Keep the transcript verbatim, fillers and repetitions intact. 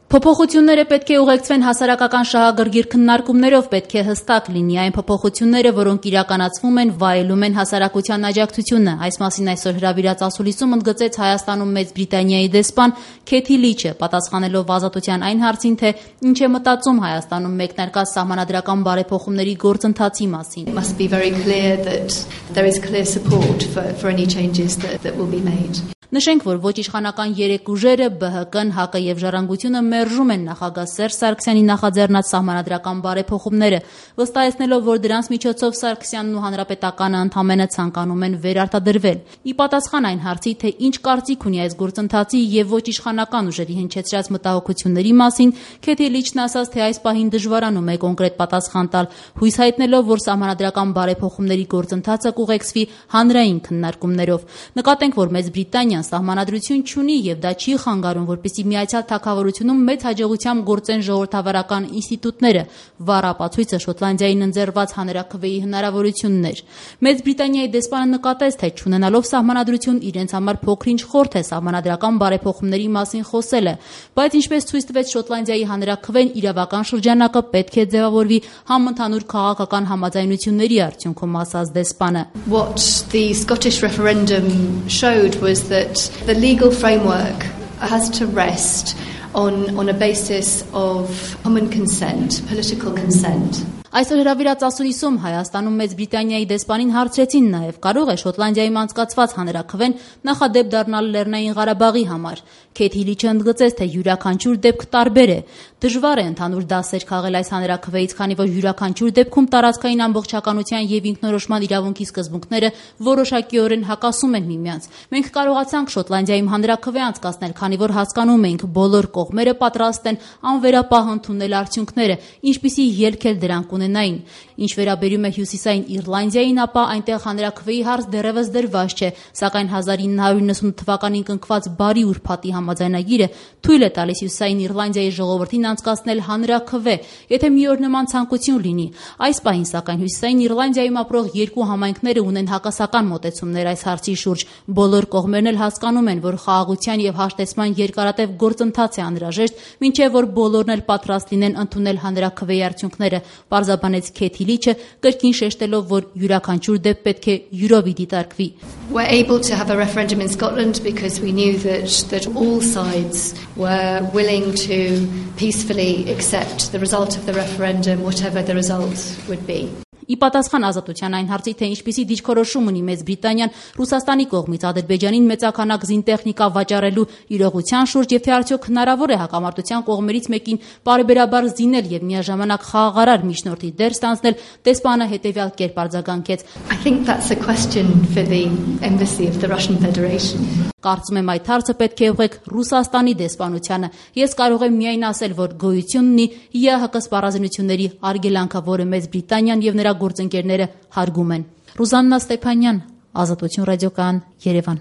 Փոփոխությունները պետք է ուղեկցվեն հասարակական շահագրգիռ քննարկումներով, պետք է հստակ լինի այն փոփոխությունները, որոնք իրականացվում են, վայելում են հասարակության աջակցությունը։ Այս մասին այսօր հրավիրած ասուլիսում ընդգծեց Հայաստանում Մեծ Բրիտանիայի դեսպան Քեթի Լիչը, պատասխանելով Ազատության այն հարցին, թե ինչ է մտածում Հայաստանում մեկնարկած սահմանադրական բարեփոխումների գործընթացի մասին։ It must be very clear that there is clear support for for any changes that that will be made. Նշենք, որ ոչ իշխանական երեք ուժերը՝ Բ Հ Կ-ն, Հ Կ եւ Ժառանգությունը մերժում են նախագահ Սերժ Սարգսյանի նախաձեռնած սահմանադրական բարեփոխումները, վստահեցնելով, որ դրանց միջոցով Սարգսյանն ու Հանրապետականը ընդամենը ցանկանում են վերարտադրվել։ Ի պատասխան այն հարցի, թե ինչ կարծիք ունի այս գործընթացի եւ ոչ իշխանական ուժերի հնչեցրած մտահոգությունների մասին, Քեթի Լիչն ասաց, թե այս պահին դժվարանում է կոնկրետ պատասխան տալ, հույս հայտնելով, որ սահմանադրական բարեփոխումների գործընթացը կուղեկցվի հանրային քննարկումներով։ Նկատենք, որ Մեծ Բրիտանիան սահմանադրություն չունի եւ դա չի խանգարում, որպեսզի Միացյալ Թագավորությունում մեծ հաջողությամբ գործեն ժողովրդավարական ինստիտուտները, վառ ապացույցը Շոտլանդիային ընձեռված հանրաքվեի հնարավորությունն էր։ Մեծ Բրիտանիայի դեսպանը նկատեց, թե չունենալով սահմանադրություն իրենց համար փոքր-ինչ խորթ է սահմանադրական բարեփոխումների մասին խոսելը, բայց ինչպես ցույց տվեց Շոտլանդիայի հանրաքվեն, իրավական շրջանակը պետք է ձևավորվի համընդհանուր քաղաքական համաձայնությունների արդյունքում, ասաց դեսպանը։ What the Scottish referendum showed was that the legal framework has to rest on, on a basis of common consent, political consent. Այսօր հրավիրած ասուլիսում Հայաստանում Մեծ Բրիտանիայի դեսպանին հարցրեցին նաև, կարող է Շոտլանդիայում անցկացված հանրաքվեն նախադեպ դառնալ Լեռնային Ղարաբաղի համար։ Քեթի Լիչը ընդգծեց, թե յուրաքանչյուր դեպք տարբեր է։ Դժվար է ընդհանուր դասեր քաղել այս հանրաքվեից, քանի որ յուրաքանչյուր դեպքում տարածքային ամբողջականության եւ ինքնորոշման իրավունքի սկզբունքները որոշակիորեն հակասում են միմյանց։ Մենք կարողացանք Շոտլանդիայում հանրաքվե անցկացնել, քանի որ հասկանում էինք, բոլոր կողմերը պատրաստ են անվերապահ ընդունել արդյունքները, ինչպիսի ելք էլ դրանք ունենային։ Ինչ վերաբերում է Հյուսիսային Իռլանդիային, ապա այնտեղ հանրաքվեի հարց դեռևս դրված չէ, սակայն հազար ինը հարյուր նվաթ թվականին կնքված բարի ուրբաթի համաձայնագիրը թույլ է տալիս Հյուսիսային Իռլանդիայի ժողովրդին անցկացնել հանրաքվե, եթե մի օր նման ցանկություն լինի։ Այս պահին, սակայն, Հյուսիսային Իռլանդիայում ապրող երկու համայնքները ունեն հակասական մոտեցումներ այս հարցի շուրջ։ Բոլոր կողմերն էլ հասկանում են, որ խաղաղության եւ հաշտեցման երկարատև գործընթաց է անհրաժեշտ, մինչեւ որ բոլորն էլ պատրաստ լինեն ընդունել հանրաքվեի արդյունքները, պարզաբանեց Քեթի Լիչը, կրկին շեշտելով, որ յուրաքանչյուր դեպք պետք է յուրովի դիտարկվի։ We're able to have a referendum in Scotland because we knew that that all sides were willing to peacefully accept the result of the referendum, whatever the result would be. Ի պատասխան Ազատության այն հարցի, թե ինչպիսի դիրքորոշում ունի Մեծ Բրիտանիան Ռուսաստանի կողմից Ադրբեջանին մեծականակ զինտեխնիկա վաճառելու իրողության շուրջ եւ թե արդյոք հնարավոր է հակամարտության կողմերից մեկին պարբերաբար զինել եւ միաժամանակ խաղաղարար միջնորդի դեր ստանձնել, դեսպանը հետեւյալ կերպ արձագանքեց. I think that's a question for the embassy of the Russian Federation. Կարծում եմ այդ հարցը պետք է ուղղեք Ռուսաստանի դեսպանությանը։ Ես կարող եմ միայն ասել, որ գոյություն ունի Ե Հ Կ սպառազինությունների արգելանքը, որը Մեծ Բրիտանիան եւ նրա գործընկերները հարգում են։ Ռուզաննա Ստեփանյան, Ազատություն ռադիոկայան, Երևան։